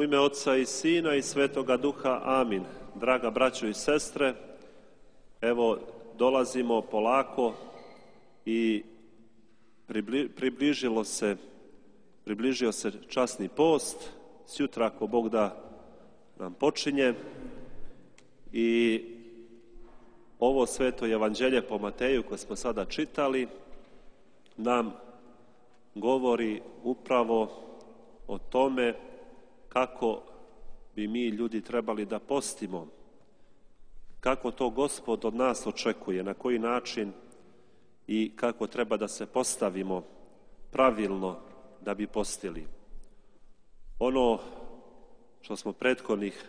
U ime Otca i Sina i Svetoga Duha, amin. Draga braćo i sestre, evo dolazimo polako i približio se časni post. Sjutra, ako Bog da, nam počinje i ovo sveto evanđelje po Mateju koje smo sada čitali nam govori upravo o tome kako bi mi ljudi trebali da postimo, kako to Gospod od nas očekuje, na koji način i kako treba da se postavimo pravilno da bi postili. Ono što smo prethodnih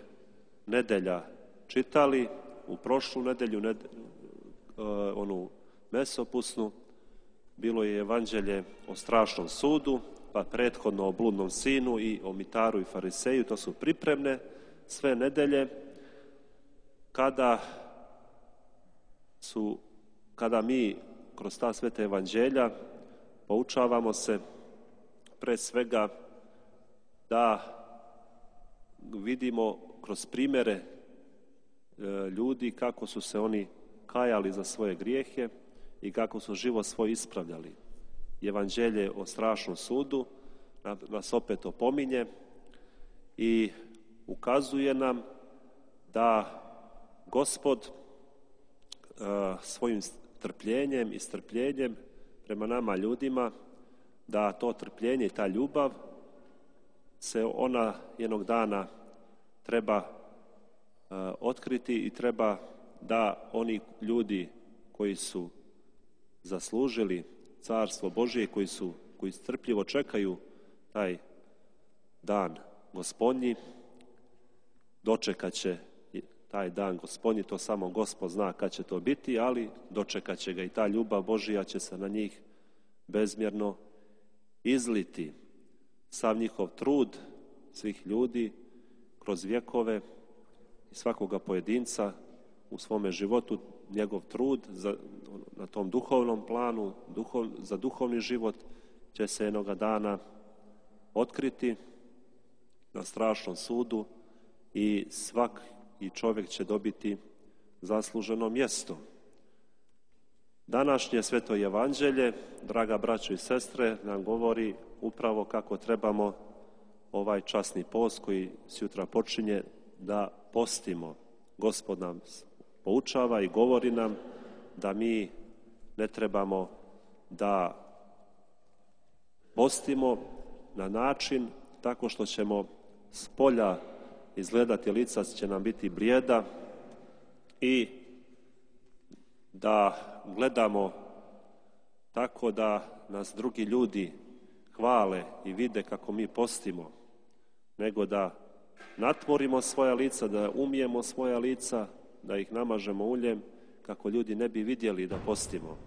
nedelja čitali, u prošlu nedelju, onu mesopusnu, bilo je evanđelje o strašnom sudu, pa prethodno o bludnom sinu i o mitaru i fariseju. To su pripremne sve nedelje kada mi kroz ta sveta evanđelja poučavamo se pre svega da vidimo kroz primjere ljudi kako su se oni kajali za svoje grijehe i kako su život svoj ispravljali. Evanđelje o strašnom sudu nas opet opominje i ukazuje nam da Gospod svojim trpljenjem i strpljenjem prema nama ljudima, da to trpljenje i ta ljubav se ona jednog dana treba otkriti i treba da oni ljudi koji su zaslužili Carstvo Božije, koji strpljivo čekaju taj dan Gospodnji, dočekat će taj dan Gospodnji, to samo Gospod zna kad će to biti, ali dočekat će ga i ta ljubav Božija će se na njih bezmjerno izliti. Sav njihov trud svih ljudi kroz vjekove i svakoga pojedinca u svome životu, njegov trud na tom duhovnom planu, za duhovni život će se jednoga dana otkriti na strašnom sudu i svaki čovjek će dobiti zasluženo mjesto. Današnje sveto evanđelje, draga braćo i sestre, nam govori upravo kako trebamo ovaj časni post koji sutra počinje da postimo. Gospod nam poučava i govori nam da mi ne trebamo da postimo na način tako što ćemo s polja izgledati, lica će nam biti blijeda i da gledamo tako da nas drugi ljudi hvale i vide kako mi postimo, nego da natvorimo svoja lica, da umijemo svoja lica, da ih namažemo uljem kako ljudi ne bi vidjeli da postimo.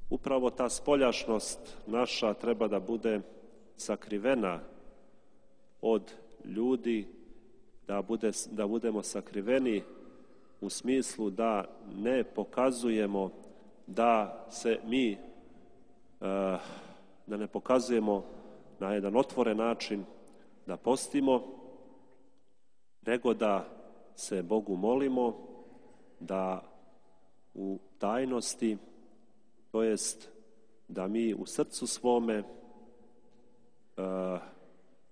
Upravo ta spoljašnost naša treba da bude sakrivena od ljudi, da budemo sakriveni u smislu da ne pokazujemo da se mi, da ne pokazujemo na jedan otvoren način da postimo, nego da se Bogu molimo, da u tajnosti, to jest da mi u srcu svome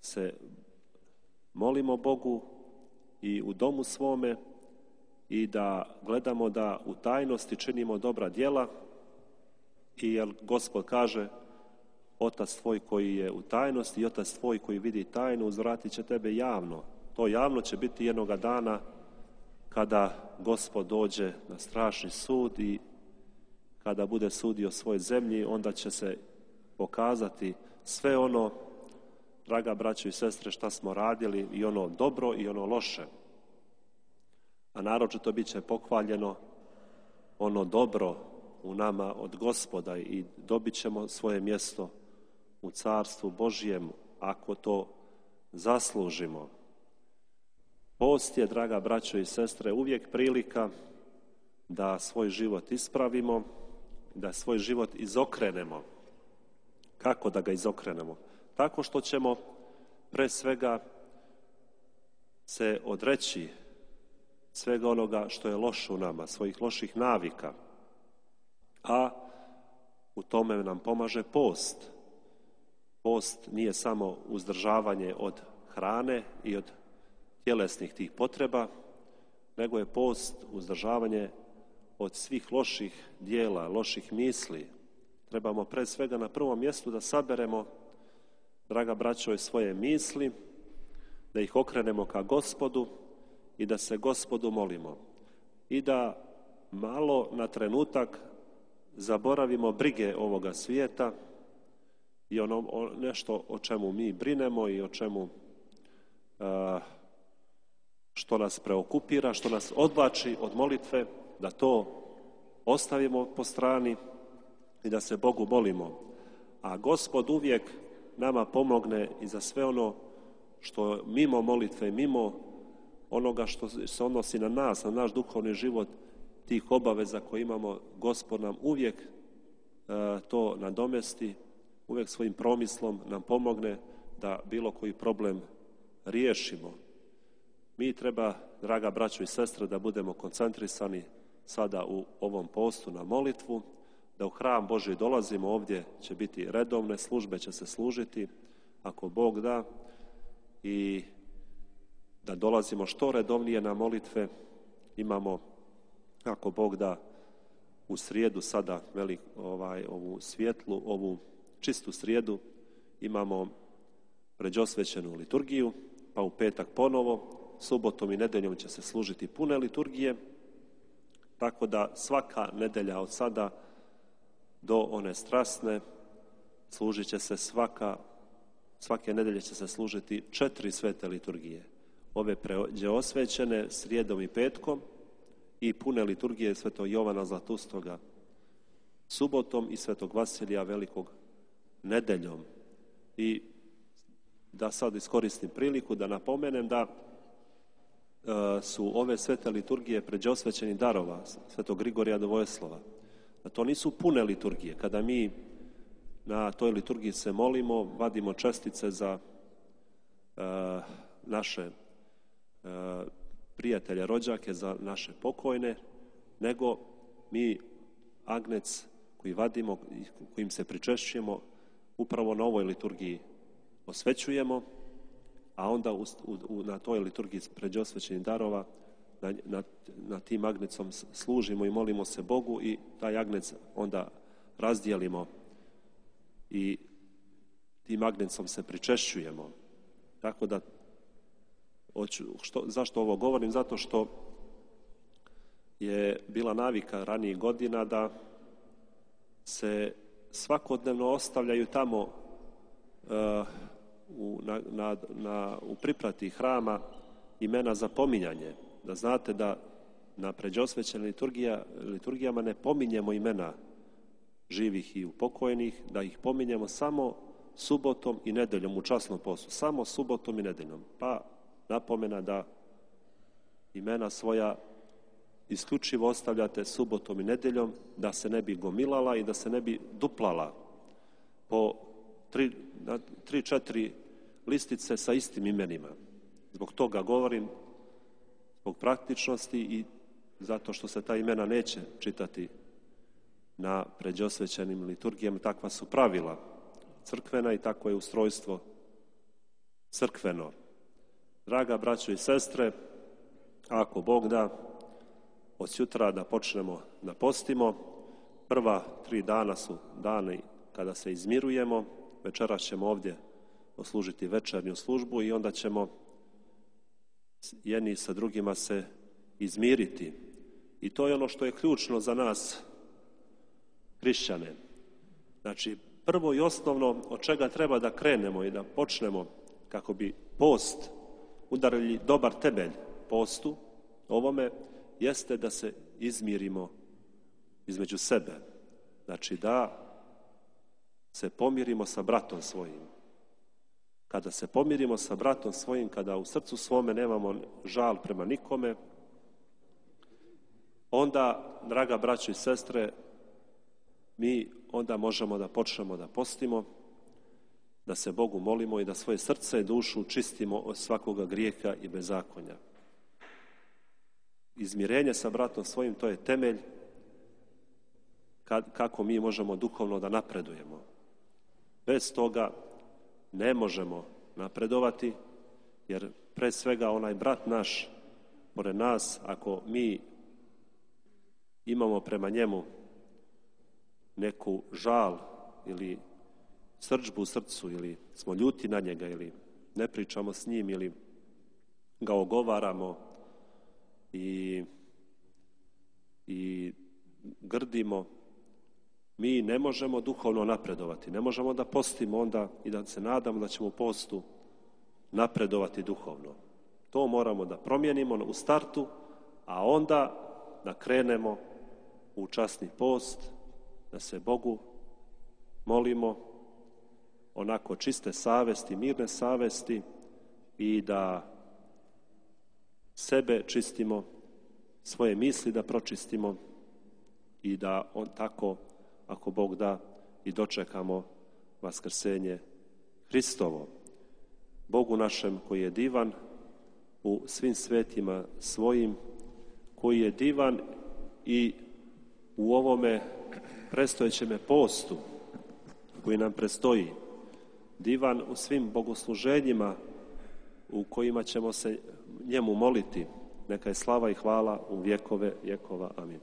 se molimo Bogu i u domu svome i da gledamo da u tajnosti činimo dobra djela, i jer Gospod kaže: Otac tvoj koji je u tajnosti i Otac tvoj koji vidi tajnu uzvratit će tebe javno. To javno će biti jednoga dana kada Gospod dođe na strašni sud i kada bude sudio svoj zemlji, onda će se pokazati sve ono, draga braćo i sestre, šta smo radili, i ono dobro i ono loše. A naročito bit će pohvaljeno ono dobro u nama od Gospoda i dobit ćemo svoje mjesto u Carstvu Božijem ako to zaslužimo. Post je, draga braćo i sestre, uvijek prilika da svoj život ispravimo, da svoj život izokrenemo. Kako da ga izokrenemo? Tako što ćemo pre svega se odreći svega onoga što je loše u nama, svojih loših navika. A u tome nam pomaže post. Post nije samo uzdržavanje od hrane i od tjelesnih tih potreba, nego je post uzdržavanje od svih loših dijela, loših misli. Trebamo pre svega na prvom mjestu da saberemo, draga braćo, svoje misli, da ih okrenemo ka Gospodu i da se Gospodu molimo. I da malo na trenutak zaboravimo brige ovoga svijeta i nešto o čemu mi brinemo i o čemu što nas preokupira, što nas odvlači od molitve, da to ostavimo po strani i da se Bogu molimo. A Gospod uvijek nama pomogne i za sve ono što mimo molitve, mimo onoga što se odnosi na nas, na naš duhovni život, tih obaveza koje imamo, Gospod nam uvijek to nadomesti, uvijek svojim promislom nam pomogne da bilo koji problem riješimo. Mi treba, draga braćo i sestre, da budemo koncentrisani sada u ovom postu na molitvu, da u hram Božji dolazimo, ovdje će biti redovne službe, će se služiti, ako Bog da, i da dolazimo što redovnije na molitve. Imamo, ako Bog da, u srijedu sada ovu svijetlu, ovu čistu srijedu, imamo pređosvećenu liturgiju, pa u petak ponovo, subotom i nedeljom će se služiti pune liturgije, tako da svaka nedelja od sada do one strasne služit će se svake nedelje će se služiti 4 svete liturgije. Ove pređeosvećene srijedom i petkom i pune liturgije svetog Jovana Zlatustoga subotom i svetog Vasilija Velikog nedeljom. I da sad iskoristim priliku da napomenem da su ove svete liturgije pređeosvećenih darova svetog Grigorija Dvojeslova. Da to nisu pune liturgije. Kada mi na toj liturgiji se molimo, vadimo čestice za naše prijatelje, rođake, za naše pokojne, nego mi agnec koji vadimo, kojim se pričešćujemo, upravo na ovoj liturgiji osvećujemo, a onda na toj liturgiji pređosvećenih darova na tim agnecom služimo i molimo se Bogu i taj agnec onda razdijelimo i tim agnecom se pričešćujemo. Tako da, zašto ovo govorim? Zato što je bila navika ranijih godina da se svakodnevno ostavljaju tamo u priprati hrama imena za pominjanje. Da znate da na pređosvećenim liturgijama ne pominjemo imena živih i upokojnih, da ih pominjemo samo subotom i nedeljom u časnom postu. Samo subotom i nedeljom. Pa napomena da imena svoja isključivo ostavljate subotom i nedeljom, da se ne bi gomilala i da se ne bi duplala po 3-4 listice sa istim imenima. Zbog toga govorim, zbog praktičnosti i zato što se ta imena neće čitati na pređosvećenim liturgijama. Takva su pravila crkvena i takvo je ustrojstvo crkveno. Draga braćo i sestre, ako Bog da, od sutra da počnemo da postimo. Prva 3 dana su dani kada se izmirujemo. Večeras ćemo ovdje oslužiti večernju službu i onda ćemo jedni sa drugima se izmiriti. I to je ono što je ključno za nas hrišćane. Znači, prvo i osnovno od čega treba da krenemo i da počnemo kako bi post udarili dobar temelj postu ovome, jeste da se izmirimo između sebe. Znači da se pomirimo sa bratom svojim. Kada se pomirimo sa bratom svojim, kada u srcu svome nemamo žal prema nikome, onda, draga braćo i sestre, mi onda možemo da počnemo da postimo, da se Bogu molimo i da svoje srce i dušu čistimo od svakoga grijeha i bezakonja. Izmirenje sa bratom svojim, to je temelj kako mi možemo duhovno da napredujemo. Bez toga ne možemo napredovati, jer pre svega onaj brat naš, pored nas, ako mi imamo prema njemu neku žal ili srdžbu u srcu, ili smo ljuti na njega, ili ne pričamo s njim, ili ga ogovaramo i grdimo, mi ne možemo duhovno napredovati. Ne možemo da postimo onda i da se nadamo da ćemo u postu napredovati duhovno. To moramo da promijenimo u startu, a onda da krenemo u časni post, da se Bogu molimo onako čiste savesti, mirne savesti i da sebe čistimo, svoje misli da pročistimo i da on tako, ako Bog da, i dočekamo vaskrsenje Hristovo. Bogu našem koji je divan u svim svetima svojim, koji je divan i u ovome predstojećeme postu koji nam predstoji, divan u svim bogosluženjima u kojima ćemo se njemu moliti. Neka je slava i hvala u vjekove vjekova. Amin.